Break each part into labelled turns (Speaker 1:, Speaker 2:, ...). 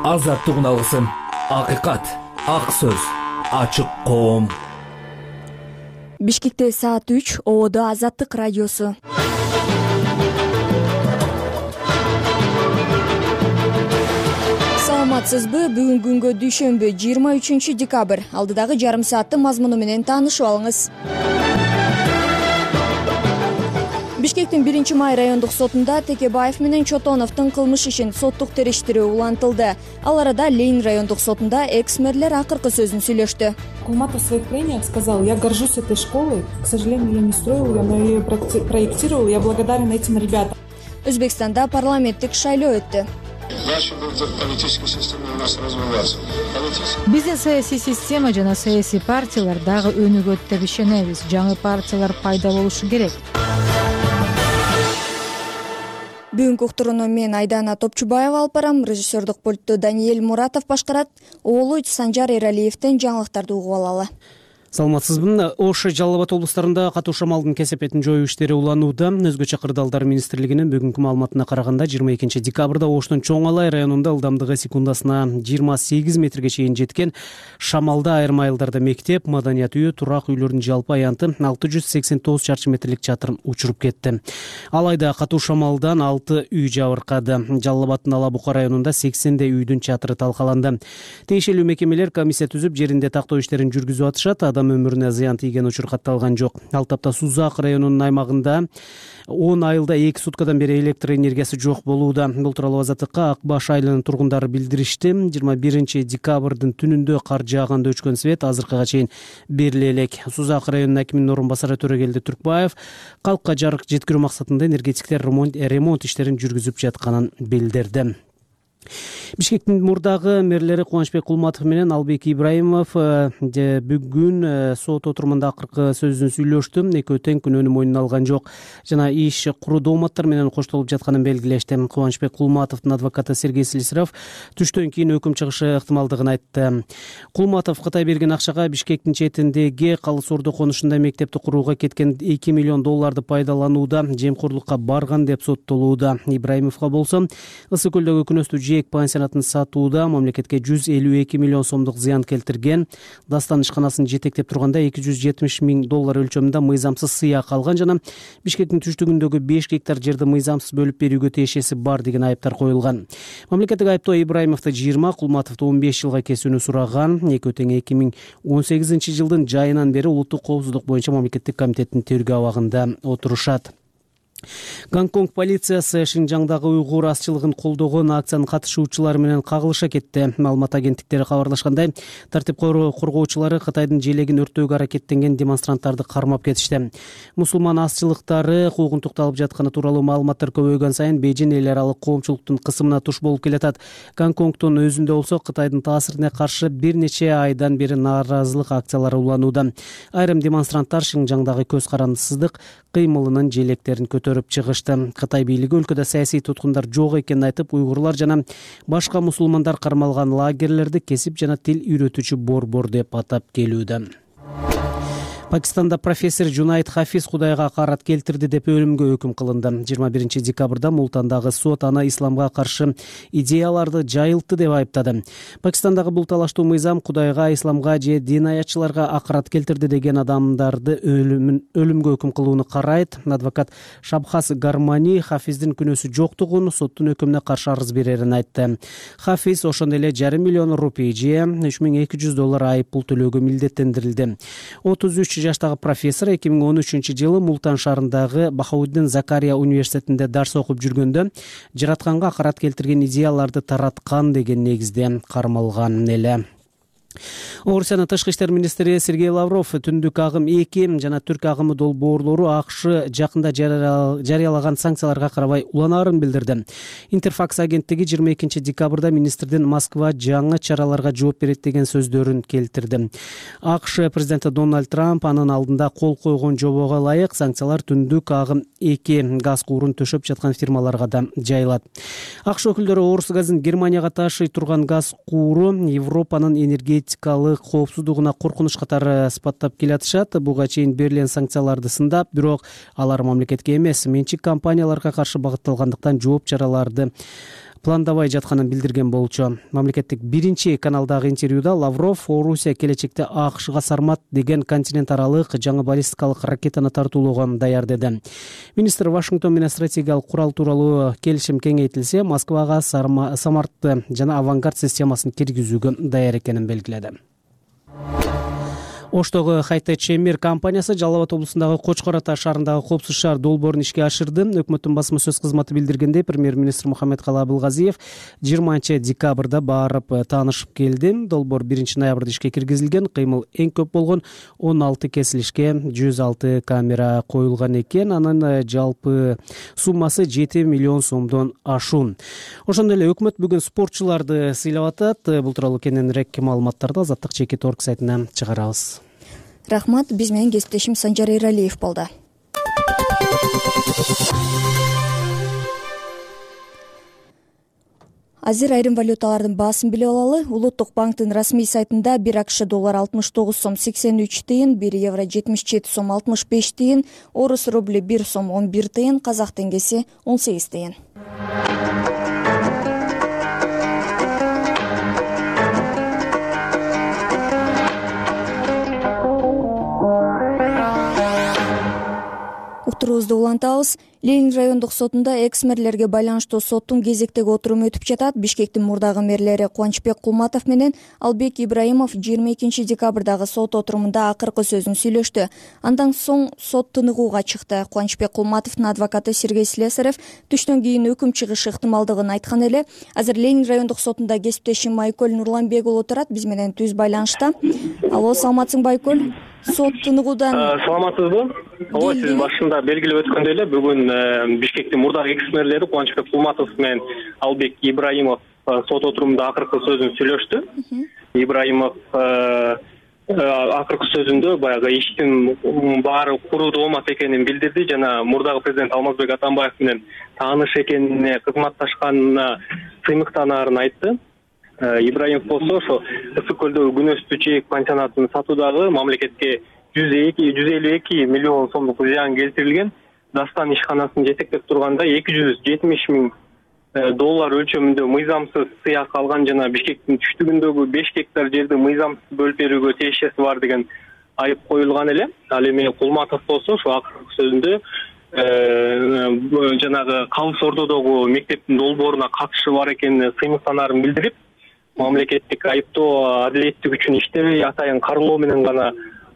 Speaker 1: Азаттык алгысым, акыйкат, ак сөз, ачык коом.
Speaker 2: Бишкекте саат 3, Ободо Азаттык радиосу. Саламатсызбы? Бүгүнкү күнгө дүйшөмбү 23 декабрь. Алдыдагы жарым сааттын мазмуну менен таанышып алыңыз. Бишкектин 1-май райондук сотунда Текебаев менен Чотоновдун кылмыш ишин соттук териштирүү улантылды. Ал арада Ленин райондук сотунда экс-мэрлер акыркы сөзүн сүйлөштү.
Speaker 3: Кулматов в своих прениях сказал: я горжусь этой школой, к сожалению, я не строил ее, но я ее проектировал, я благодарен этим ребятам.
Speaker 2: Өзбекстанда парламенттик шайлоо өттү.
Speaker 4: Наша политическая система у нас развивается.
Speaker 5: Биздин саясий система жана саясий партиялар дагы өнүгөт деп ишенебиз. Жаңы партиялар пайда болушу керек.
Speaker 2: Бүгүнкү уктурууну мен Айдана Топчубаева алып барам. Режиссердук пультту Даниэль Муратов башкарат. Оолу Санжар Эралиевден жаңылыктарды угуп алалы.
Speaker 6: Саламатсызбы? Ош, Жалал Абад облустарында катуу шамалдын кесепетин жоюу иштери уланууда. Өзгөчө Кырдаалдар министрлигинин бүгүнкү маалыматына караганда 22 декабрда Оштун Чоң Алай районунда ылдамдыгы секундасына 28 метрге чейин жеткен шамалда айрым айылдарда мектеп, маданият үйү, турак үйлөрдүн жалпы аянты 689 чарчы метрлик чатыр учуруп кетти. Алайда катуу шамалдан 6 үй жабыркады. Жалал Абаддын Ала Бука районунда 80 үйдүн чатыры талкаланды. Тиешелүү мекемелер комиссия түзүп, жеринде тактоо иштерин жүргүзүп атышат. Өмүрүнө зыян тийген учур катталган жок. Ал тапта Сузак районунун аймагында 10 айылда 2 суткадан бери электр энергиясы жок болууда. Бул тууралуу Азаттыкка Ак Баш айылынын тургундары билдиришти. 21 декабрдын түнүндө кар жааганда өчкөн свет азыркыга чейин бериле элек. Сузак районунун акиминин орун басары Төрөгелди Түркбаев калкка жарык жеткирүү максатында энергетиктер ремонт иштерин жүргүзүп жатканын билдирди. Бишкектин мурдагы мэрлери Кубанычбек Кулматов менен Албек Ибраимов бүгүн сот отурумунда акыркы сөзүн сүйлөштү. Экөө тең күнөөнү мойнуна алган жок жана иш куруу дооматтар менен коштолуп жатканын белгилешти. Кубанычбек Кулматовдун адвокаты Сергей Слесарев түштөн кийин өкүм чыгышы ыктымалдыгын айтты. Кулматов Кытай берген акчага Бишкектин четиндеги Калыс Ордо конушунда мектепти курууга кеткен $2 миллион пайдаланууда, жемкорлукка барган деп соттолууда. Ибраимовго болсо Ысык көлдөгү күнөстүү жээк пансионатын сатууда мамлекетке $152 миллион сомдук зыян келтирген. Дастан ишканасын жетектеп турганда $270 миң өлчөмүндө мыйзамсыз сыйак алган жана Бишкектин түштүгүндөгү 5 гектар жерди мыйзамсыз бөлүп берүүгө тиешеси бар деген айыптар коюлган. Мамлекеттик айыптоо Ибраимовду 20, Кулматовду 15 жылга кесүүнү сураган. Экөө тең 2018 жылдын жайынан бери улуттук коопсуздук боюнча мамлекеттик комитеттин тергөө абагында отурушат. Гонконг полициясы Шинжаңдагы уйгур азчылыгын колдогон акциянын катышуучулары менен кагылыша кетти. Маалымат агенттиктери кабарлашкандай, тартип коргоочулары Кытайдын желегин өрттөөгө аракеттенген демонстранттарды кармап кетишти. Мусулман азчылыктары куугунтукту алып жатканы тууралуу маалыматтар көбөйгөн сайын Бейжин эл аралык коомчулуктун кысымына туш болуп келатат. Гонконгдун өзүндө болсо Кытайдын таасирине каршы бир нече айдан бери нааразылык акциялары уланууда. Айрым демонстранттар Шинжаңдагы көз карандысыздык кыймылынын желектерин көтөрүп чыгышты. Кытай бийлиги өлкөдө саясий туткундар жок экенин айтып, уйгурлар жана башка мусулмандар кармалган лагерлерди кесип жана тил үйрөтүүчү борбор деп атап келүүдө. Пакистанда профессор Жунайд Хафиз Кудайга акарат келтирди деп өлүмгө өкүм кылынды. 21 декабрда Мултандагы сот аны исламга каршы идеяларды жайылтты деп айыптады. Пакистандагы бул талаштуу мыйзам Кудайга, исламга же дин аятчыларга акарат келтирди деген адамдарды өлүмгө өкүм кылууну карайт. Адвокат Шабхас Гармани Хафиздин күнөөсү жоктугун, соттун өкүмүнө каршы арыз берерин айтты. Хафиз ошондой эле $500 миллион же $3200 айып пул төлөөгө милдеттендирилди. 33 жаштагы профессор 2013 жылы Мултан шаарындагы Бахауддин Закария университетинде дарс окуп жүргөндө жаратканга акарат келтирген идеяларды тараткан деген негизде кармалган эле. Орусиянын тышкы иштер министри Сергей Лавров түндүк агым 2 жана түрк агымы долбоорлору АКШ жакында жарыялаган санкцияларга карабай уланаарын билдирди. Интерфакс агенттиги 22 декабрда министрдин Москва жаңы чараларга жооп берет деген сөздөрүн келтирди. АКШ президенти Дональд Трамп анын алдында кол койгон жобого ылайык санкциялар түндүк агым 2 газ куурун төшөп жаткан фирмаларга да жайылат. АКШ өкүлдөрү Орус газын Германияга ташый турган газ кууру Европанын энергетикалык коопсуздугуна коркунуч катары сыпаттап келатышат. Буга чейин берилген санкцияларды сындап, бирок алар мамлекетке эмес, менчик компанияларга каршы багытталгандыктан жооп чараларды пландабай жатканын билдирген болчу. Мамлекеттик биринчи каналдагы интервьюда Лавров Орусия келечекте АКШга Сармат деген континент аралык жаңы баллистикалык ракетаны тартуулоого даяр деди. Министр Вашингтон менен стратегиялык курал тууралуу келишим кеңейтилсе, Москвага Самартты жана Авангард системасын киргизүүгө даяр экенин белгиледи. Оштогу Хайтечи Мир компаниясы Жалал Абад облусундагы Кочкор Ата шаарындагы Коопсуз шаар долбоорун ишке ашырды. Өкмөттүн басма сөз кызматы билдиргендей, премьер-министр Мухаммедкалый Абылгазиев 20 декабрда барып таанышып келди. Долбоор 1 ноябрда ишке киргизилген. Кыймыл эң көп болгон 16 кесилишке 106 камера коюлган экен. Анын жалпы суммасы 7 миллион сомдон ашуун. Ошондой эле өкмөт бүгүн спортчуларды сыйлап атат. Бул тууралуу кененирээк маалыматтарды Азаттык ЧК.org сайтынан чыгарабыз.
Speaker 2: Рахмат, биз менен кесиптешим Санжар Эралиев болду. Азыр айрым валюталардын баасын билип алалы. Улуттук банктын расмий сайтында 1 АКШ доллар 69 сом 83 тыйын, 1 евро 77 сом 65 тыйын, орус рубли 1 сом 11 тыйын, казак теңгеси 18 тыйын. Уктуруубузду улантабыз. Ленин райондук сотунда экс-мэрлерге байланыштуу соттун кезектеги отуруму өтүп жатат. Бишкектин мурдагы мэрлери Кубанычбек Кулматов менен Албек Ибраимов 22 декабрдагы сот отурумунда акыркы сөзүн сүйлөштү. Андан соң сот тыныгууга чыкты. Кубанычбек Кулматовдун адвокаты Сергей Слесарев түштөн кийин өкүм чыгышы ыктымалдыгын айткан эле. Азыр Ленин райондук сотунда кесиптешим Айкөл Нурланбек уулу турат. Биз менен түз байланышта. Алло, саламатсыңбы Айкөл? Сот тыныгуудан
Speaker 7: саламатсызбы? Ооба, сиз башында белгилеп өткөндөй эле бүгүн Бишкектин мурдагы экс-мэрлери Кубанычбек Кулматов менен Албек Ибраимов сот отурумунда акыркы сөзүн сүйлөштү. Ибраимов акыркы сөзүндө баягы иштин баары куруу болмок экенин билдирди жана мурдагы президент Алмазбек Атамбаев менен тааныш экенине, кызматташканына сыймыктанаарын айтты. Ибраимов болсо ошо Ысык көлдөгү күнөстүү чек пансионатын сатуудагы мамлекетке 152 миллион сомдук зыян келтирилген. Дастан ишканасын жетектеп турганда 270 миң доллар өлчөмүндө мыйзамсыз сыяк алган жана Бишкектин түштүгүндөгү 5 гектар жерди мыйзамсыз бөлүп берүүгө тиешеси бар деген айып коюлган эле. Ал эми Кулматов болсо ошо акыркы сөзүндө жанагы Калыс Ордодогу мектептин долбооруна катышы бар экенине сыймыктанаарын билдирип, мамлекеттик айыптоо адилеттик үчүн иштебей атайын каралоо менен гана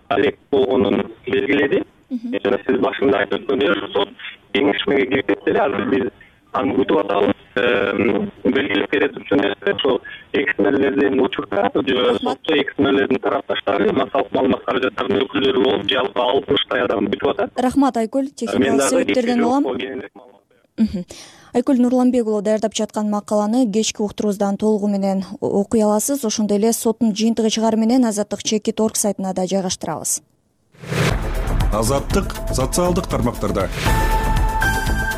Speaker 7: алек болгонун белгиледи. Жана сиз башында айтып өткөндөй сот кеңешмеге кирип кетти эле. Азыр биз аны күтүп атабыз. Белгилеп бере турчу нерсе ошо экс-мэрлердин учурда сотто экс-мэрлердин тарапташтары, массалык маалымат каражаттарынын өкүлдөрү болуп, жалпы 60 адам күтүп атат.
Speaker 2: Рахмат Айкөл, техникалык себептерден улам. Айкөл Нурланбек уулу даярдап жаткан макаланы кечки уктуруубуздан толугу менен окуй аласыз. Ошондой эле соттун жыйынтыгы чыгары менен Азаттык ЧК.org сайтына да жайгаштырабыз.
Speaker 8: Азаттык социалдык тармактарда.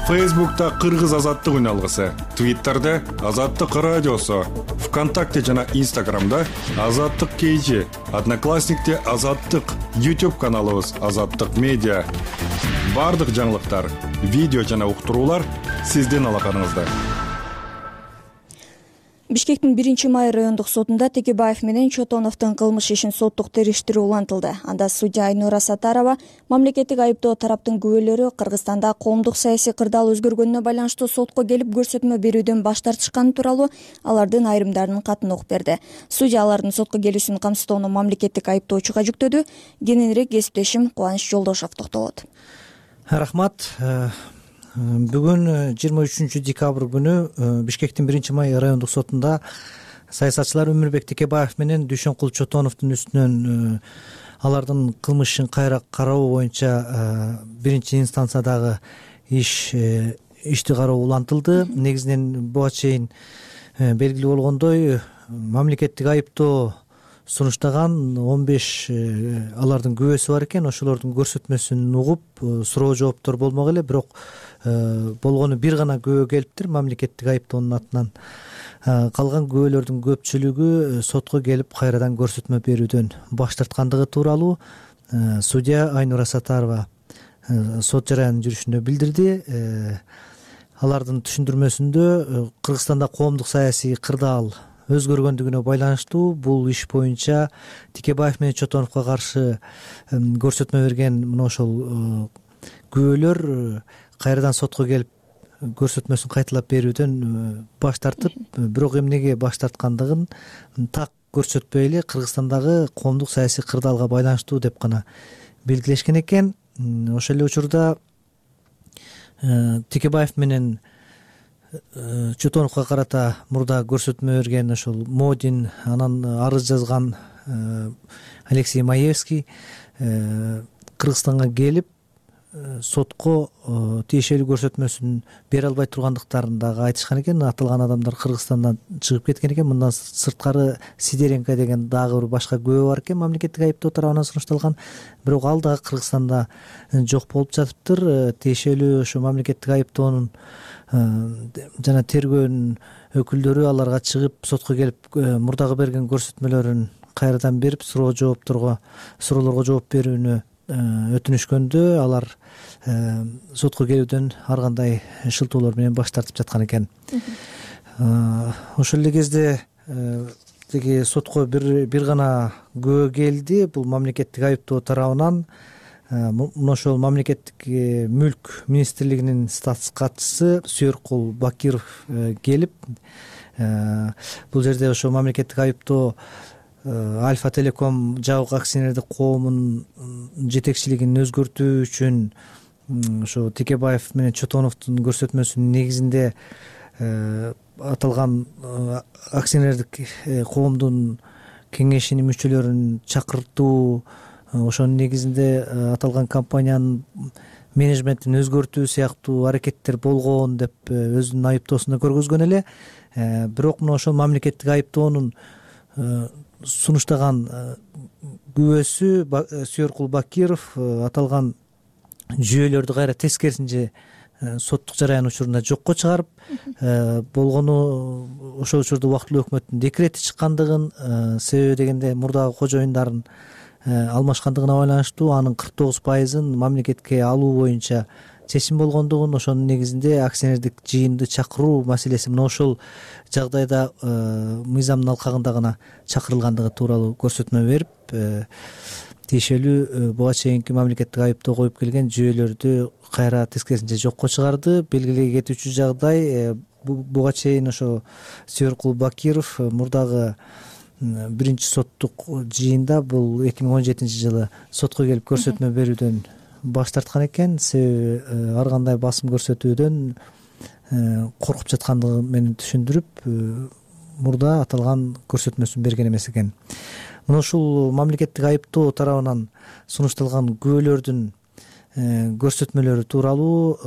Speaker 8: Фейсбукта Кыргыз азаттык үналгысы, Твиттерде Азаттык радиосу, ВКонтакте жана Инстаграмда Азаттык KG, Одноклассникте Азаттык, YouTube каналыбыз Азаттык медиа. Бардык жаңылыктар, видео жана уктуруулар сиздин алаканыңызда.
Speaker 2: Бишкектин 1-май райондук сотунда Текебаев менен Чотоновдун кылмыш ишин соттук териштирүү улантылды. Анда судья Айнура Сатарова мамлекеттик айыптоо тараптын күбөлөрү Кыргызстанда коомдук саясий кырдаал өзгөргөнүнө байланыштуу сотко келип көрсөтмө берүүдөн баш тартышканы тууралуу алардын айрымдарынын катын окуп берди. Судья алардын сотко келүүсүн камсыздоону мамлекеттик айыптоочуга жүктөдү. Кененирээк кесиптешим Кубаныч Жолдошов токтолот.
Speaker 9: Рахмат. Бүгүн 23 декабрь күнү Бишкектин 1-май райондук сотунда саясатчылар Өмүрбек Текебаев менен Дүйшөнкул Чотоновдун үстүнөн алардын кылмышын кайра кароо боюнча биринчи инстанциядагы ишти кароо улантылды. Негизинен буга чейин белгилүү болгондой мамлекеттик айыптоо сунуштаган 15 алардын күбөсү бар экен. Ошолордун көрсөтмөсүн угуп суроо жооптор болмок эле, бирок болгону бир гана күбө келиптир мамлекеттик айыптоонун атынан. Калган күбөлөрдүн көпчүлүгү сотко келип кайрадан көрсөтмө берүүдөн баш тарткандыгы тууралуу судья Айнура Сатарова сот жараянын жүрүшүндө билдирди. алардын түшүндүрмөсүндө Кыргызстанда коомдук саясий кырдаал өзгөргөндүгүнө байланыштуу бул иш боюнча Текебаев менен Чотоновго каршы көрсөтмө берген мына ошол күбөлөр кайрадан сотко келип көрсөтмөсүн кайталап берүүдөн баш тартып, бирок эмнеге баш тарткандыгын так көрсөтпөй эле Кыргызстандагы коомдук саясий кырдаалга байланыштуу деп гана белгилешкен экен. Ошол эле учурда Текебаев менен Чотоновго карата мурда көрсөтмө берген ошол Модин, анан арыз жазган Алексей Маевский Кыргызстанга келип сотко тиешелүү көрсөтмөсүн бере албай тургандыктарын дагы айтышкан экен. Аталган адамдар Кыргызстандан чыгып кеткен экен. Мындан сырткары Сидоренко деген дагы бир башка күбө бар экен, мамлекеттик айыптоо тарабынан сунушталган. Бирок ал дагы Кыргызстанда жок болуп жатыптыр. Тиешелүү ошо мамлекеттик айыптоонун жана тергөөнүн өкүлдөрү аларга чыгып сотко келип мурдагы берген көрсөтмөлөрүн кайрадан берип суроолорго жооп берүүнү өтүнүшкөндө алар сотко келүүдөн ар кандай шылтоолор менен баш тартып жаткан экен. Ошол эле кезде тиги сотко бир гана күбө келди. Бул мамлекеттик айыптоо тарабынан мына ошол мамлекеттик мүлк министрлигинин статус катчысы Сүйөркул Бакиров келип бул жерде ошо мамлекеттик айыптоо Альфа Телеком жабык акционердик коомунун жетекчилигин өзгөртүү үчүн ошо Текебаев менен Чотоновдун көрсөтмөсүнүн негизинде аталган акционердик коомдун кеңешинин мүчөлөрүн чакыртуу, ошонун негизинде аталган компаниянын менеджментин өзгөртүү сыяктуу аракеттер болгон деп өзүнүн айыптоосунда көргөзгөн эле. Бирок мына ошол мамлекеттик айыптоонун сунуштаган күбөсү Сүйөркул Бакиров аталган жүйөлөрдү кайра тескерисинче соттук жараян учурунда жокко чыгарып, болгону ошол учурда убактылуу өкмөттүн декрети чыккандыгын, себеби дегенде мурдагы кожоюндарын алмашкандыгына байланыштуу анын 49%-ын мамлекетке алуу боюнча чечим болгондугун, ошонун негизинде акционердик жыйынды чакыруу маселеси мына ошол жагдайда мыйзамдын алкагында гана чакырылгандыгы тууралуу көрсөтмө берип, тиешелүү буга чейинки мамлекеттик айыптоо коюп келген жүйөлөрдү кайра тескерисинче жокко чыгарды. Белгилей кетүүчү жагдай, буга чейин ошо Сүйөркул Бакиров мурдагы биринчи соттук жыйында бул 2017-жылы сотко келип көрсөтмө берүүдөн баш тарткан экен. Себеби ар кандай басым көрсөтүүдөн коркуп жаткандыгы менен түшүндүрүп, мурда аталган көрсөтмөсүн берген эмес экен. Мына ушул мамлекеттик айыптоо тарабынан сунушталган күбөлөрдүн көрсөтмөлөрү тууралуу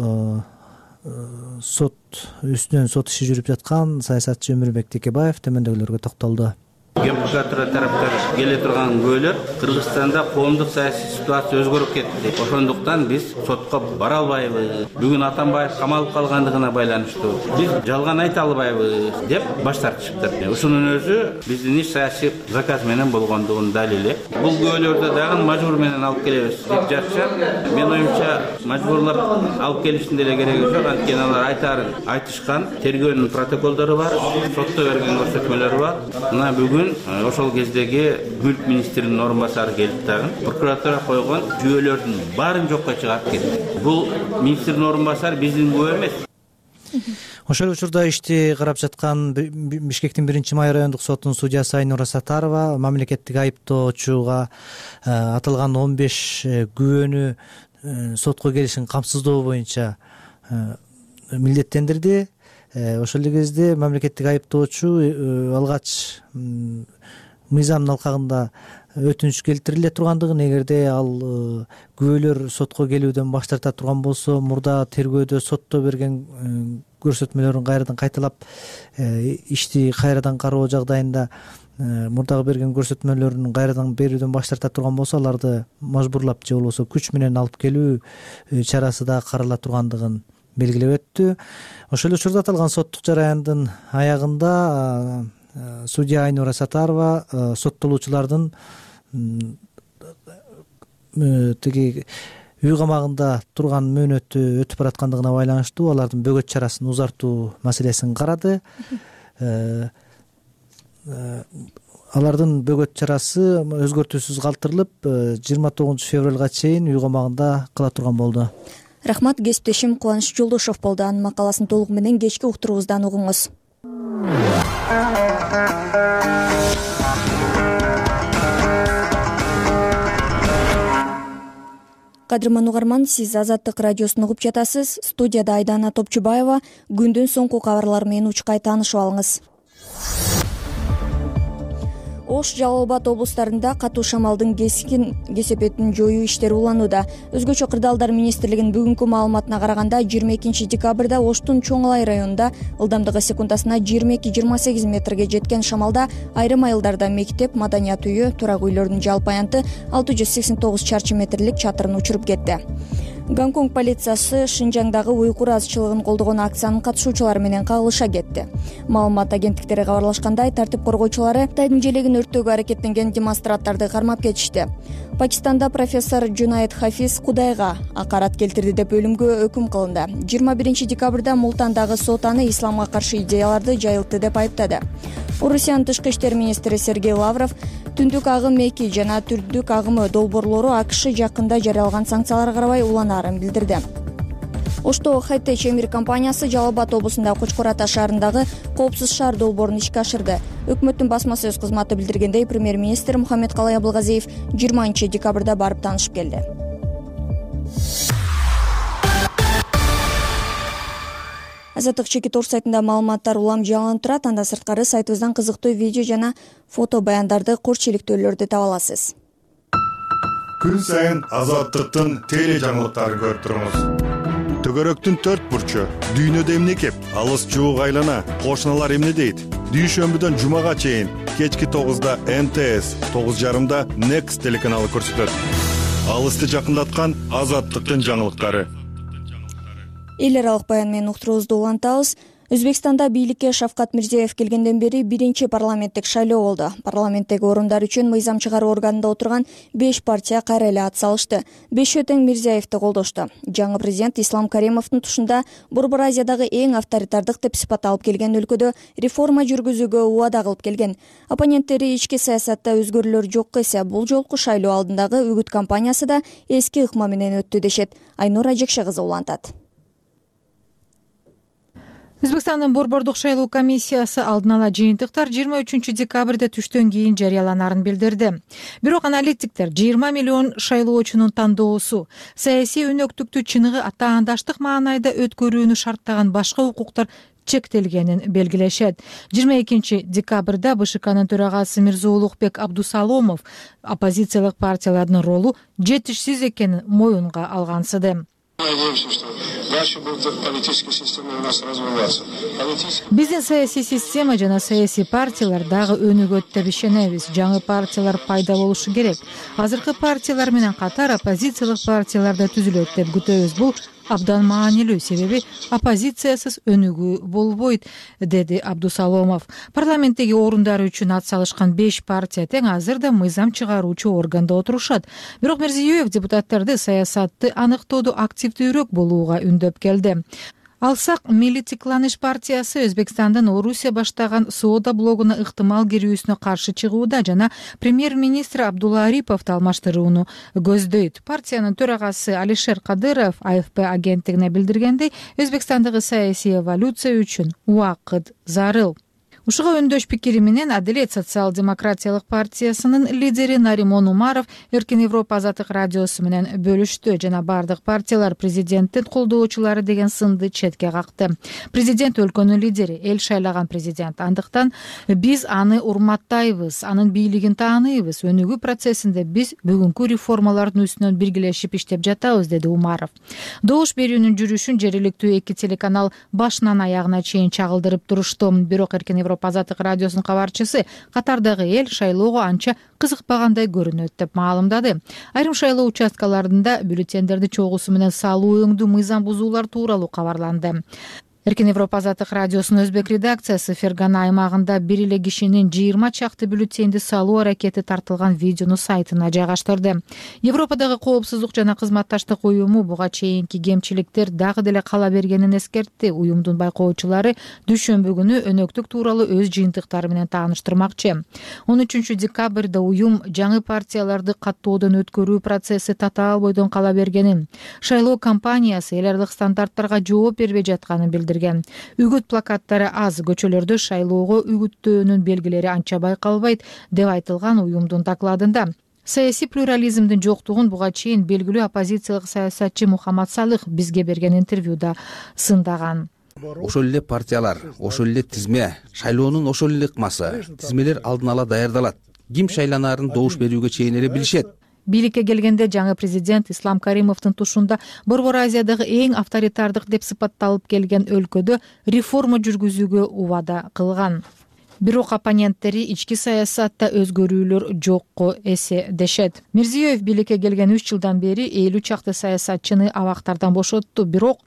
Speaker 9: сот үстүнөн сот иши жүрүп жаткан саясатчы Өмүрбек Текебаев төмөндөгүлөргө токтолду.
Speaker 10: Геопрокуратура тараптан келе турган күбөлөр Кыргызстанда коомдук саясий ситуация өзгөрүп кетти. Ошондуктан биз сотко бара албайбыз. Бүгүн Атамбаев камалып калгандыгына байланыштуу биз жалган айта албайбыз деп баш тартышыптыр. Ушунун өзү биздин иш саясий заказ менен болгондугун далили. Бул күбөлөрдү дагы мажбур менен алып келебиз деп жатышат. Мен оюмча мажбурлап алып келиштин деле кереги жок. Анткени алар айтарын айтышкан, тергөөнүн протоколдору бар, сотто берген көрсөтмөлөрү бар. Мына бүгүн ошол кездеги мүлк министринин орун басары келип дагы прокуратура койгон жүйөлөрдүн баарын жокко чыгарып кетти. Бул министрдин орун басары биздин күбө эмес.
Speaker 9: Ошол учурда ишти карап жаткан Бишкектин 1-май райондук сотунун судьясы Айнура Сатарова мамлекеттик айыптоочуга аталган 15 күбөнү сотко келишин камсыздоо боюнча милдеттендирди. Ошол эле кезде мамлекеттик айыптоочу алгач мыйзамдын алкагында өтүнүч келтириле тургандыгын, эгерде ал күбөлөр сотко келүүдөн баш тарта турган болсо, мурда тергөөдө сотто берген көрсөтмөлөрүн кайрадан кайталап ишти кайрадан кароо жагдайында мурдагы берген көрсөтмөлөрүн кайрадан берүүдөн баш тарта турган болсо, аларды мажбурлап же болбосо күч менен алып келүү чарасы да карала тургандыгын белгилеп өттү. Ошол эле учурда аталган соттук жараяндын аягында судья Айнура Сатарова соттолуучулардын тиги үй камагында турган мөөнөтү өтүп бараткандыгына байланыштуу алардын бөгөт чарасын узартуу маселесин карады. Алардын бөгөт чарасы өзгөртүүсүз калтырылып 29 февралга чейин үй камагында кала турган болду.
Speaker 2: Рахмат, кесиптешим Кубаныч Жолдошов болду. Анын макаласын толугу менен кечки уктуруубуздан угуңуз. Кадырман угарман, сиз Азаттык радиосун угуп жатасыз. Студияда Айдана Топчубаева. Күндүн соңку кабарлары менен учкай таанышып алыңыз. Ош, Жалал Абад облустарында катуу шамалдын кескин кесепетин жоюу иштери уланууда. Өзгөчө кырдаалдар министрлигинин бүгүнкү маалыматына караганда 22 декабрда Оштун Чоң-Алай районунда ылдамдыгы секундасына 22-28 метрге жеткен шамалда айрым айылдарда мектеп, маданият үйү, турак үйлөрдүн жалпы аянты 689 чарчы метрлик чатырын учуруп кетти. Гонконг полициясы Шинжаңдагы уйкур азчылыгын колдогон акциянын катышуучулары менен кагылыша кетти. Маалымат агенттиктери кабарлашкандай, тартип коргоочулары Кытайдын желегин өрттөөгө аракеттенген демонстранттарды кармап кетишти. Пакистанда профессор Жунайд Хафиз Кудайга акарат келтирди деп өлүмгө өкүм кылынды. 21 декабрда Мултандагы сот аны исламга каршы идеяларды жайылтты деп айыптады. Орусиянын тышкы иштер министри Сергей Лавров түндүк агым 2 жана түрдүк агымы долбоорлору АКШ жакында жарыялаган санкцияларга карабай уланаарын билдирди. Ошто Хайтеч Эмир компаниясы Жалал Абад облусунда Кочкор Ата шаарындагы коопсуз шаар долбоорун ишке ашырды. Өкмөттүн басма сөз кызматы билдиргендей, премьер-министр Мухаммедкалай Абылгазиев 20 декабрда барып таанышып келди. Азаттык чекит орус сайтында маалыматтар улам жаңыланып турат. Анда сырткары сайтыбыздан кызыктуу видео жана фото баяндарды, корчиликтөөлөрдү таба аласыз.
Speaker 8: Күн сайын Азаттыктын теле жаңылыктарын көрүп туруңуз. Төгөрөктүн 4 бурчу, дүйнөдө эмне кеп, алыс жуук айлана, кошуналар эмне дейт? Дүйшөмбүдөн жумага чейин кечки 9да МТС, 9:30да Next телеканалы көрсөтөт. Алысты жакындаткан Азаттыктын жаңылыктары.
Speaker 2: Эл аралык баян менен уктуруубузду улантабыз. Өзбекстанда бийликке Шавкат Мирзиёев келгенден бери биринчи парламенттик шайлоо болду. Парламенттеги орундар үчүн мыйзам чыгаруу органында отурган 5 партия кайра эле ат салышты. 5 тең Мирзиёевди колдошту. Жаңы президент Ислам Каримовдун тушунда Борбор Азиядагы эң авторитардык деп сыпатталып келген өлкөдө реформа жүргүзүүгө убада кылып келген. Оппоненттери ички саясатта өзгөрүүлөр жок эсе, бул жолку шайлоо алдындагы үгүт кампаниясы да эски ыкма менен өттү дешет. Айнур Ажекше кызы улантат.
Speaker 5: Өзбекстандын борбордук шайлоо комиссиясы алдын ала жыйынтыктар 23 декабрда түштөн кийин жарыяланарын билдирди. Бирок аналитиктер 20 миллион шайлоочунун тандоосу, саясий өнөктүктү чыныгы атаандаштык маанайда өткөрүүнү шарттаган башка укуктар чектелгенин белгилешет. 22 декабрда БШКнын төрагасы Мирзоулукбек Абдусаломов оппозициялык партиялардын ролу жетишсиз экенин моюнга алгансыды.
Speaker 4: Надеемся, что дальше будет политическая система у нас развиваться.
Speaker 5: Биздин саясий система жана саясий партиялар дагы өнүгөт деп ишенебиз. Жаңы партиялар пайда болушу керек. Азыркы партиялар менен катар оппозициялык партиялар да түзүлөт деп күтөбүз. Бул абдан маанилүү, себеби оппозициясыз өнүгүү болбойт, деди Абдусаломов. Парламенттеги орундары үчүн ат салышкан 5 партия тең азыр да мыйзам чыгаруучу органда отурушат. Бирок Мирзиёев депутаттарды саясатты аныктоодо активдүүрөөк болууга үндөп келди. Алсак, Милли Тикланыш партиясы Өзбекстандын Орусия баштаган соода блогуна ыктымал кирүүсүнө каршы чыгууда жана премьер-министр Абдулла Ариповду алмаштырууну көздөйт. Партиянын төрагасы Алишер Кадыров АФП агенттигине билдиргендей, Өзбекстандагы саясий эволюция үчүн убакыт зарыл. Ушуга өндөш пикири менен Адилет социал-демократиялык партиясынын лидери Наримон Умаров Эркин Европа Азаттык радиосу менен бөлүштү жана бардык партиялар президенттин колдоочулары деген сынды четке какты. Президент өлкөнүн лидери, эл шайлаган президент. Андыктан биз аны урматтайбыз, анын бийлигин тааныйбыз. Өнүгүү процессинде биз бүгүнкү реформалардын үстүнөн биргелешип иштеп жатабыз, деди Умаров. Добуш берүүнүн жүрүшүн жергиликтүү 2 телеканал башынан аягына чейин чагылдырып турушту. Бирок Эркин Европа Азаттык радиосунун кабарчысы катардагы эл шайлоого анча кызыкпагандай көрүнөт деп маалымдады. Айрым шайлоо участкаларында бюллетендерди чогуусу менен салуу өңдүү мыйзам бузуулар тууралуу кабарланды. Эркин Европа азаттык радиосунун өзбек редакциясы Фергана аймагында бир эле кишинин 20 чакты бюллетенди салуу аракети тартылган видеону сайтына жайгаштырды. Европадагы коопсуздук жана кызматташтык уюму буга чейинки кемчиликтер дагы деле кала бергенин эскертти. Уюмдун байкоочулары дүйшөмбү күнү өнөктүк тууралуу өз жыйынтыктары менен тааныштырмакчы. 13 декабрда уюм жаңы партияларды каттоодон өткөрүү процесси татаал бойдон кала бергенин, шайлоо кампаниясы эл аралык стандарттарга жооп бербей жатканын билдирди. Үгүт плакаттары аз, көчөлөрдө шайлоого үгүттөөнүн белгилери анча байкалбайт деп айтылган уюмдун докладында. Саясий плюрализмдин жоктугун буга чейин белгилүү оппозициялык саясатчы Мухаммад Салых бизге берген интервьюда сындаган.
Speaker 11: Ошол эле партиялар, ошол эле тизме, шайлоонун ошол эле ыкмасы, тизмелер алдын ала даярдалат. Ким шайланаарын добуш берүүгө чейин эле билишет.
Speaker 5: Бийликке келгенде жаңы президент Ислам Каримовдун тушунда Борбор Азиядагы эң авторитардык деп сыпатталып келген өлкөдө реформа жүргүзүүгө убада кылган. Бирок оппоненттери ички саясатта өзгөрүүлөр жокко эседешет. Мирзиёев бийликке келген 3 жылдан бери 50 чакты саясатчыны абактардан бошотту, бирок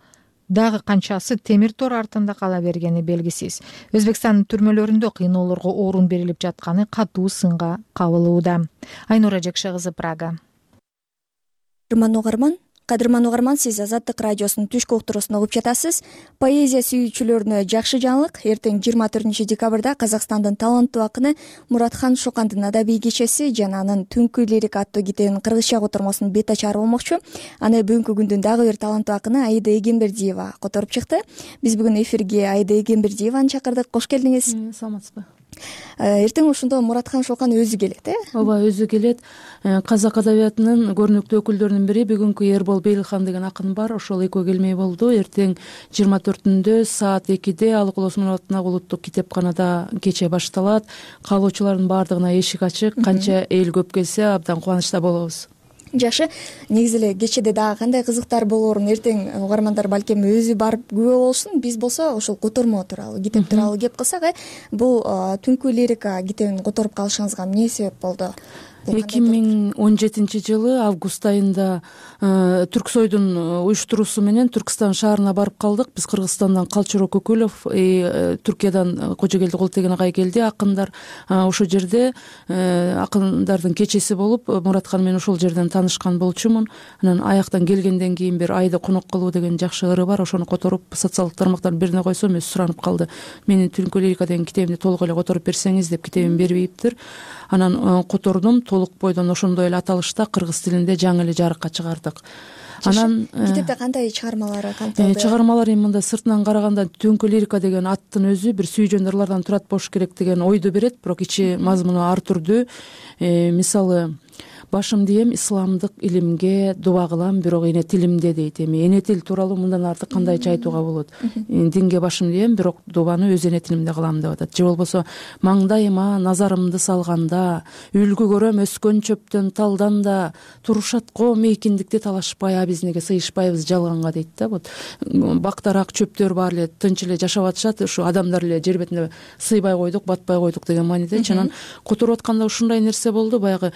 Speaker 5: дагы канчасы темир тор артында кала бергени белгисиз. Өзбекстандын түрмөлөрүндө кыйноолорго орун берилип жатканы катуу сынга кабылууда. Айнура Жекше кызы, Прага.
Speaker 2: Кадырман угарман, сиз Азаттык радиосунун түшкү уктуруусун угуп жатасыз. Поэзия сүйүүчүлөрүнө жакшы жаңылык. Эртең 24 декабрда Казакстандын таланттуу акыны Муратхан Шокандын адабий кечеси жана анын Түнкү лирика аттуу китебинин кыргызча котормосунун бет ачары болмокчу. Аны бүгүнкү күндүн дагы бир таланттуу акыны Аида Эгембердиева которуп чыкты. Биз бүгүн эфирге Аида Эгембердиеваны чакырдык. Кош келдиңиз.
Speaker 3: Саламатсызбы?
Speaker 2: Эртең ошондо Муратхан Шокан өзү келет,
Speaker 3: Ооба, өзү келет. Казак адабиятынын көрүнүктүү өкүлдөрүнүн бири бүгүнкү Эрбол Бейлхан деген акын бар. Ошол экөө келмей болду. Эртең 24-түндө саат 2-де Алык Улусман атындагы улуттук китепканада кече башталат. Каалоочулардын баардыгына эшик ачык. Канча эл көп келсе абдан кубанычта болобуз.
Speaker 2: Жакшы. Негизи эле кечеде дагы кандай кызыктар болоорун эртең угармандар балким өзү барып күбө болушун. Биз болсо ошол котормо тууралуу, китеп тууралуу кеп кылсак, бул Түнкү лирика китебин которуп калышыңызга эмне себеп болду?
Speaker 3: 2017 жылы август айында Түрксойдун уюштуруусу менен Түркстан шаарына барып калдык. Биз Кыргызстандан Калчоро Көкөлов, Түркиядан Кожогелди Колтеген агай келди, акындар. Ошол жерде акындардын кечеси болуп, Муратхан менен ошол жерден таанышкан болчумун. Анан аяктан келгенден кийин бир айда конок кылуу деген жакшы ыры бар. Ошону которуп социалдык тармактардын бирине койсом, өзү суранып калды. Менин Түнкү лирика деген китебимди толук эле которуп берсеңиз деп, китебин бербейиптир. Анан котордум. Толук бойдон ошондой эле аталышта кыргыз тилинде жаңы эле жарыкка чыгардык. Анан
Speaker 2: китепте кандай чыгармалары камтылды?
Speaker 3: Чыгармалар мында сыртынан караганда Түнкү лирика деген аттын өзү бир сүйжөн ырлардан турат болуш керек деген ойду берет, бирок ичи мазмуну ар түрдүү. Мисалы, башым дийем исламдык илимге дуба кылам, бирок эне тилимде дейт. Эне тил тууралуу мындан артык кандайча айтууга болот? Динге башым дийем, бирок дубаны өз эне тилимде кылам деп атат. Же болбосо маңдайыма назарымды салганда, үлгү көрөм өскөн чөптөн талдан да, турушат ком эйкиндикти талашпай, биз неге сыйышпайбыз жалганга дейт да. Вот бактарак чөптөр бар эле тынч эле жашап атышат, ушу адамдар эле жер бетинде сыйбай койдук, батпай койдук деген мааниде. Анан которуп атканда ушундай нерсе болду. Баягы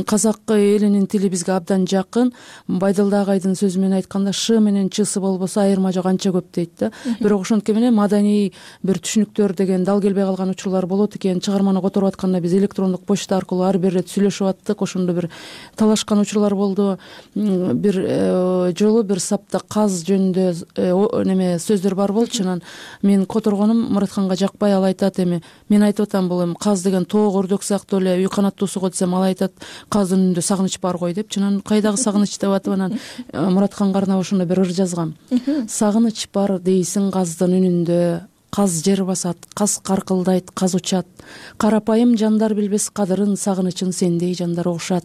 Speaker 3: казак элинин тили бизге абдан жакын. Байдылда агайдын сөзү менен айтканда, ш менен чсы болбосо айырма жок анча көп дейт да. Бирок ошонтке менен маданий бир түшүнүктөр деген дал келбей калган учурлар болот экен. Чыгарманы которуп атканда биз электрондук почта аркылуу ар бир ирет сүйлөшүп аттык. Ошондо бир талашкан учурлар болду. Бир жолу бир сапта каз жөнүндө неме сөздөр бар болчу. Анан мен которгонум Муратханга жакпай, ал айтат, мен айтып атам, бул каз деген тоок өрдөк сыяктуу эле үй канаттуусу десем, ал айтат, каздын үнүндө сагыныч бар ғой деп. Анан кайдагы сагыныч деп атып, анан Муратханга арнап ошондо бир ыр жазгам. Сагыныч бар дейсиң каздын үнүндө, каз жер басат, каз каркылдайт, каз учат. Карапайым жандар билбес кадырын, сагынычын сендей жандар угушат.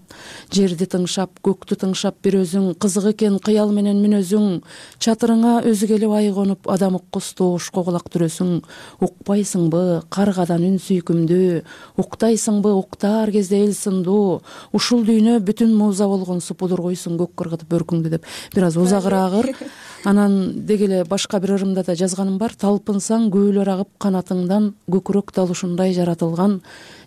Speaker 3: Жерди тыңшап, көктү тыңшап бир өзүң, кызык экен кыял менен мүнөзүң. Чатырыңа өзү келип ай конуп, адам уккус тоошко кулак түрөсүң. Укпайсыңбы каргадан үн сүйкүмдүү, уктайсыңбы уктаар кезде эл сындуу. Ушул дүйнө бүтүн муза болгонсу пудургуйсуң көк кыргытып бөркүңдү деп бир аз узагыраак ыр. Анан деги эле башка бир ырымда да жазганым бар. Талпынсаң күбөлөр агып канатыңдан көкүрөк дал ушундай жаратылган,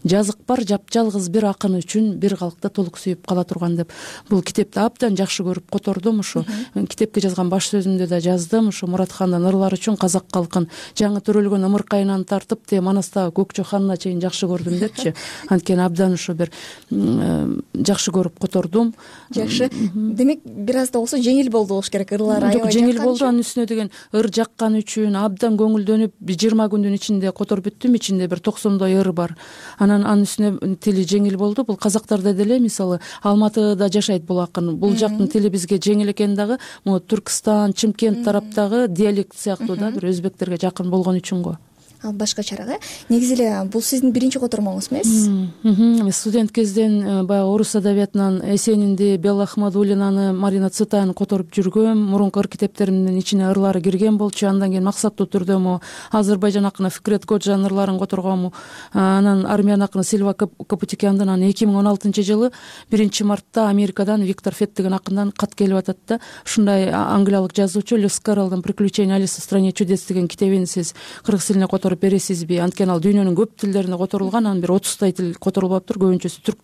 Speaker 3: жазык бар жапжалгыз бир акын үчүн бир калкта толук сүйүп кала турган деп бул китепти абдан жакшы көрүп котордум. Ушу китепке жазган баш сөзүмдө да жаздым. Ушу Муратхандын ырлары үчүн казак калкын жаңы төрөлгөн ымыркайынан тартып те манастагы Көкчө ханына чейин жакшы көрдүм депчи. Анткени абдан ушу бир жакшы көрүп котордум.
Speaker 2: Жакшы. Демек бир аз да болсо жеңил болду болуш керек, ырлары аябай жаккан.
Speaker 3: Жеңил болду. Анын үстүнө деген ыр жаккан үчүн абдан көңүлдөнүп 20 күндүн ичинде которуп бүттүм. Ичинде бир 90 ыр бар. Анын үстүнө тили жеңил болду. Бул казактарда деле мисалы Алматыда жашайт бул акын. Бул жактын тили бизге жеңил экен дагы, могу Түркстан, Чымкент тараптагы диалект сыяктуу да бир өзбектерге жакын болгон үчүн го.
Speaker 2: Ал башкачараак. Негизи эле бул сиздин биринчи котормоңуз эмес?
Speaker 3: Студент кезден баягы орус адабиятынан Эсенинди, Белла Ахмадуллинаны, Марина Цветаевну которуп жүргөм. Мурунку ыр китептеримдин ичине ырлары кирген болчу. Андан кийин максаттуу түрдө могу Азербайжан акыны Фикрет Коджанын ырларын которгом. Анан армян акыны Сильва Капутикяндын 2016-жылы 1-мартта Америкадан Виктор Фет деген акындан кат келип атат да. Ушундай англиялык жазуучу Льюис Карролдун «Приключения Алисы в стране чудес» деген китебин сиз кыргыз тилине которуп бересизби? Анткени ал дүйнөнүн көп тилдерине которулган, анын бир 30 тил которулуп атыптыр, көбүнчөсү түрк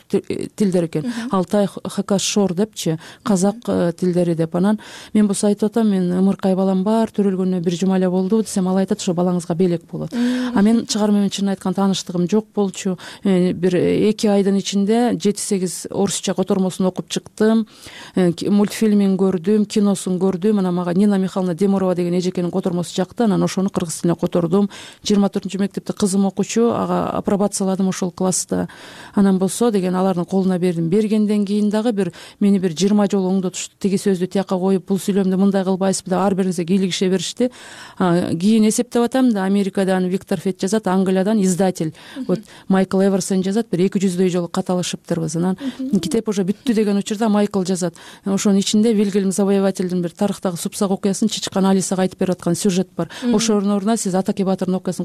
Speaker 3: тилдери экен. Алтай, Хакас, Шор депчи, казак тилдери деп. Анан мен болсо айтып атам, мен ымыркай балам бар, төрөлгөнүнө 1 жума эле болду десем, ал айтат, ошо балаңызга белек болот. А мен чыгарма менен чынын айтканда тааныштыгым жок болчу. Бир 2 айдын ичинде 7-8 орусча котормосун окуп чыктым, мультфильмин көрдүм, киносун көрдүм. Анан мага Нина Михайловна Демурова деген эжекенин котормосу жакты. Анан ошону кыргыз тилине котордум. 24-мектепте кызым окучу, ага апробацияладым ошол класста. Анан болсо деген алардын колуна бердим. Бергенден кийин дагы мени 20 жолу оңдотушту. Тиги сөздү тияка коюп, бул сүйлөмдү мындай кылбайсызбы деп ар бириңизге кийлигише беришти. Кийин эсептеп атам да, Америкадан Виктор Фет жазат, Англиядан издатель. Вот Майкл Эверсон жазат, бир 200 жолу кат алышыптырбыз. Анан китеп уже бүттү деген учурда Майкл жазат. Ошонун ичинде Вильгельм Завоевательдин бир тарыхтагы Супсак окуясын Чичкан Алисага айтып берип аткан сюжет бар. Ошонун ордуна сиз Атаке Батырдын окуясын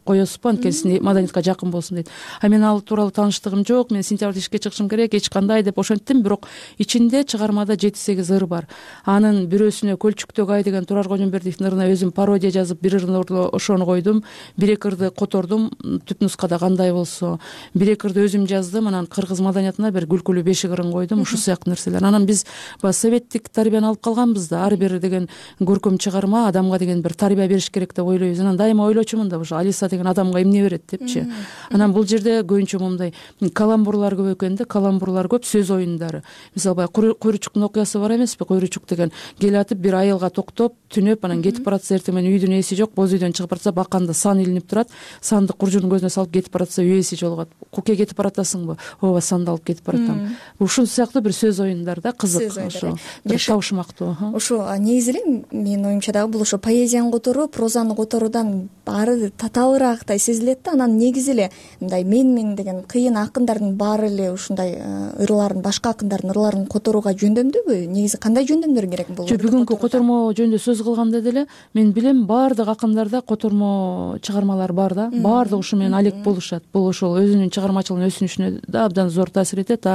Speaker 3: коесузбу, анткени маданиятка жакын болсун дейт. А мен ал тууралуу тааныштыгым жок, мен сентябрда ишке чыгышым керек, эч кандай деп ошенттим. Бирок ичинде чыгармада 7-8 ыр бар. Анын бирөөсүнө Көлчүктөгү ай деген Турар Кожомбердиевдин ырына өзүм пародия жазып, бир ырдын ордуна ошону койдум. 1-2 ырды котордум, түп нускада кандай болсо. 1-2 ырды өзүм жаздым, анан кыргыз маданиятына бир күлкүлүү бешик ырын койдум, ушул сыяктуу нерселер. Анан биз советтик тарбияны алып калганбыз да, ар бир деген көркөм чыгарма адамга деген бир тарбия бериш керек деп ойлойбуз. Анан дайыма ойлочумун да, ошо Алиса деген адамга эмне берет депчи. Анан бул жерде көбүнчө момундай каламбурлар көп экен да, каламбурлар көп, сөз оюндары. Мисалы баягы Куйручуктун окуясы бар эмеспи? Куйручук деген кел атып бир айылга токтоп, түнөп, анан кетип баратса, эртең менен үйдүн ээси жок, боз үйдөн чыгып баратса, баканда сан илинип турат, санды куржунун көзүнө салып кетип баратса, үй ээси жолугат. Куке кетип баратасыңбы? Ооба, санды алып кетип баратам. Ушул сыяктуу бир сөз оюндар да, кызык, ошо бир табышмактуу.
Speaker 2: Ошо негизи эле менин оюмча дагы бул ошо поэзияны которуу, прозаны которуудан баары татаалыраактай сезилет да. Анан негизи эле мындай мен деген кыйын акындардын баары эле ушундай ырларын, башка акындардын ырларын которууга жөндөмдүүбү? Негизи кандай жөндөмдөр керек бул?
Speaker 3: Бүгүнкү котормо жөнүндө сөз кылганда деле мен билем, баардык акындарда котормо чыгармалар бар да, баардыгы ушу менен алек болушат. Бул ошол өзүнүн чыгармачылыгынын өсүнүшүнө да абдан зор таасир этет.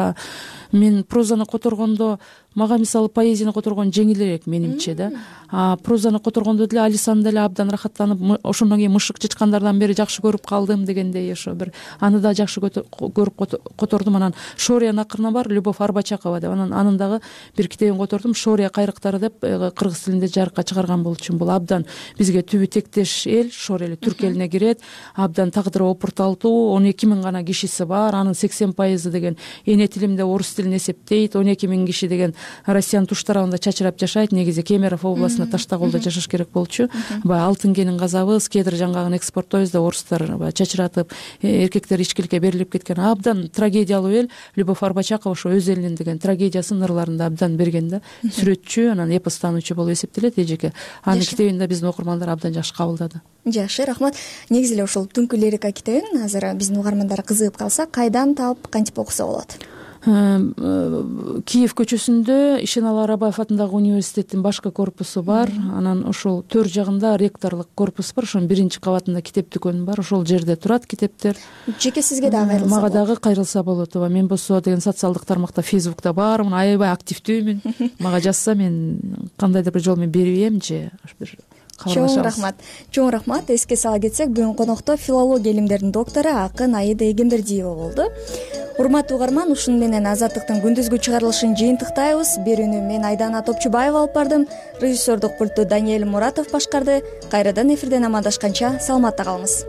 Speaker 3: Мен прозаны которгондо мага мисалы поэзияны которгон жеңилирээк менимче да. Прозаны которгондо деле Алисаны деле абдан рахаттанып, ошондон кийин Мышык чычкандардан бери жакшы көрүп калдым дегендей, ошо бир аны да жакшы көрүп котордум. Анан Шориянын акырына бар, Любовь Арбачакова деп, анын дагы бир китебин котордум, Шория кайрыктары деп, кыргыз тилинде жарыкка чыгарган болчумун. Бул абдан бизге түбү тектеш эл, Шор эли түрк элине кирет, абдан тагдыры опурталдуу, 12 000 гана кишиси бар, анын 80% деген эне тилимде орус тилин эсептейт, 12 000 киши деген Россиянын туш тарабында чачырап жашайт. Негизи Кемерово областында Таштаголдо жашаш керек болчу. Баягы алтын кенин казабыз, кедир жаңгагын экспорттойбуз да, орустар баягы чачыратып, эркектер ичкиликке берилип кеткен абдан трагедиялуу эл. Любовь Арбачакова ошо өз элинин деген трагедиясын ырларында абдан берген да. Сүрөтчү, анан эпостануучу болуп эсептелет эжеке. Анын китебин да биздин окурмандар абдан жакшы кабылдады.
Speaker 2: Жакшы, рахмат. Негизи эле ушул Түнкү лирика китебин азыр биздин угармандар кызыгып калса, кайдан таап, кантип окуса болот? Киев көчөсүндө Ишеналы Арабаев атындагы университеттин башкы корпусу бар. Анан ошол төр жагында ректорлук корпус бар. Ошонун 1-кабатында китеп дүкөнү бар. Ошол жерде турат китептер. Жеке сизге дагы кайрылса болот?
Speaker 3: Мага дагы кайрылса болот. Ооба, мен болсо деген социалдык тармакта, Facebook'та бармын, аябай активдүүмүн. Мага жазса мен кандайдыр бир жол менен берип ийем же бир кабарлашабыз.
Speaker 2: Чоң рахмат. Эске сала кетсек, бүгүн конокто филология илимдеринин доктору акын Аида Эгембердиева болду. Урматтуу угарман, ушуну менен Азаттыктын күндүзгү чыгарылышын жыйынтыктайбыз. Берүүнү мен Айдана Топчубаева алып бардым. Режиссердук пультту Даниэль Муратов башкарды. Кайрадан эфирден амандашканча саламатта калыңыз.